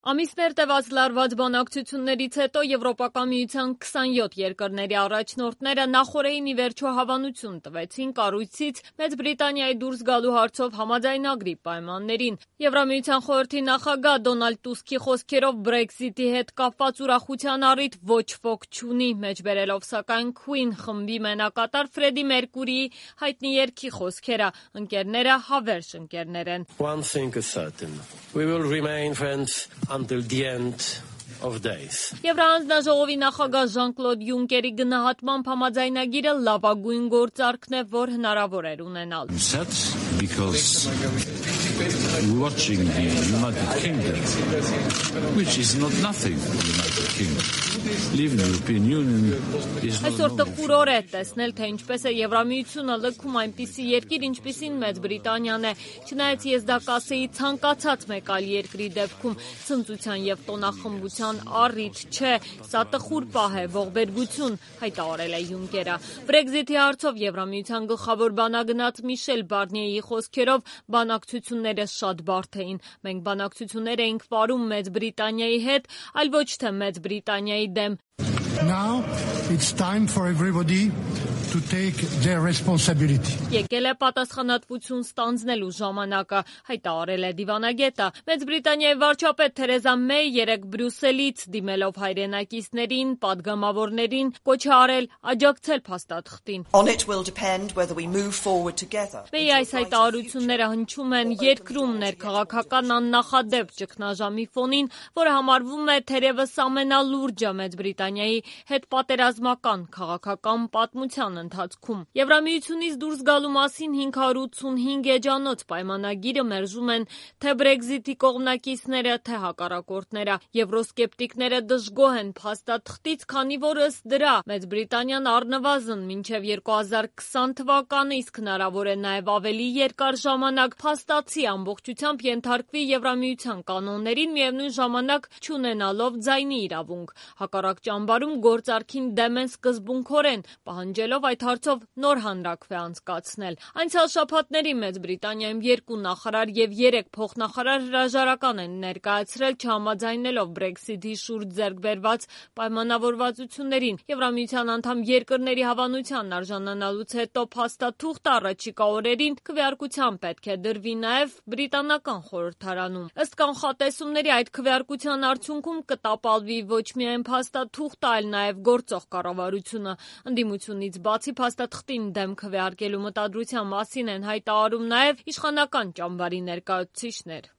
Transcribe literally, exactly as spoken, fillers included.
Ամիսներ տևած լարված բանակցություններից հետո Եվրոպական միության քսանյոթ երկրների առաջնորդները նախօրեին ի վերջո հավանություն տվեցին կառույցից Մեծ Բրիտանիայի դուրս գալու հարցով համաձայնագրի պայմաններին։ Եվրամիության խորհրդի նախագահ Դոնալդ Տուսկի խոսքերով Brexit-ի հետ կապված ուրախության առիթ ոչ ոք չունի, մեջբերելով սակայն Queen խմբի մենակատար Ֆրեդի Մերկուրիի հայտնի երգի խոսքերը. ընկերները հավերժ ընկերներ են։ One thing is certain. We will remain friends until the end of days. Եվրահանձնաժողովի նախագահ Ժան-Կլոդ Յունկերի գնահատմամբ համաձայնագիրը լավագույն գործարքն է, որ հնարավոր էր ունենալ։ Sad because watching the United Kingdom, which is not nothing, the United Kingdom, leaving the European Union is not Այսօր տխուրոր է տեսնել, թե ինչպես է Եվրամիությունը լքում այնպիսի երկիր, ինչպիսին Մեծ Բրիտանիան է, չնայած ես դա կասեի ցանկացած մեկ այլ երկրի դեպքում, ցնծության եւ տոնախմբության առիթ չէ, սա տխուր պահ է, ողբերգություն, հայտարարել է Յունկերը։ Brexit-ի հարցով Եվրամիության գլխավոր բանագնաց Միշել Բարնիեի խոսքերով բանակցությունները շատ բարդ էին։ Մենք բանակցություններ էինք վարում Մեծ Բրիտանիայի հետ, այլ ոչ թե Մեծ Բրիտանիայի դեմ։ Now it's time for everybody to take their responsibility. Եկել է պատասխանատվություն ստանձնելու ժամանակը, հայտարարել է դիվանագետը։ Մեծ Բրիտանիայի վարչապետ Թերեզա Մեյ երեկ Բրյուսելից դիմելով հայրենակիցներին, падգամավորներին կոչ է արել աջակցել փաստաթղթին։ On it will depend whether we move forward together. Մեյի այս հայտարարությունները հնչում են երկրում ներքաղաքական աննախադեպ ճգնաժամի ֆոնին, որը համարվում է թերևս ամենալուրջը Մեծ Բրիտանիայի հետ պատերազմական քաղաքական պատմության ընթացքում։ Եվրամիությունից դուրս գալու մասին հինգ հարյուր ութսունհինգ էջանոց պայմանագիրը մերժում են թե Brexit-ի կողմնակիցները, թե հակառակորդները։ Եվրոսկեպտիկները դժգոհ են փաստաթղթից, քանի որ ըստ դրա Մեծ Բրիտանիան առնվազն մինչև երկու հազար քսան թվականը, իսկ հնարավոր է նաև ավելի երկար ժամանակ փաստացի ամբողջությամբ ենթարկվի Եվրամիության կանոններին, միևնույն ժամանակ չունենալով ձայնի իրավունք։ Հակառակ ճամբարում գործարքին դեմ են սկզբունքորեն, պահանջելով այդ հարցով նոր հանրաքվե անցկացնել։ Անցյալ շաբաթների Մեծ Բրիտանիայում երկու նախարար եւ երեք փոխնախարար հրաժարական են ներկայացրել չհամաձայնելով Brexit-ի շուրջ ձեռք բերված պայմանավորվածություններին։ Եվրամիության անդամ երկրների հավանությանն արժանանալուց հետո փաստաթուղթը առաջիկա օրերին քվեարկության պետք է դրվի նաեւ բրիտանական խորհրդարանում։ Ըստ կանխատեսումների այդ քվեարկության արդյունքում կտապալվի ոչ միայն փաստաթուղթը, այլ նաեւ գործող կառավարությունը։ Ընդդիմությունից բացի փաստաթղթին դեմ քվեարկելու մտադրության մասին են հայտարարում նաև իշխանական ճամբարի ներկայացուցիչներ։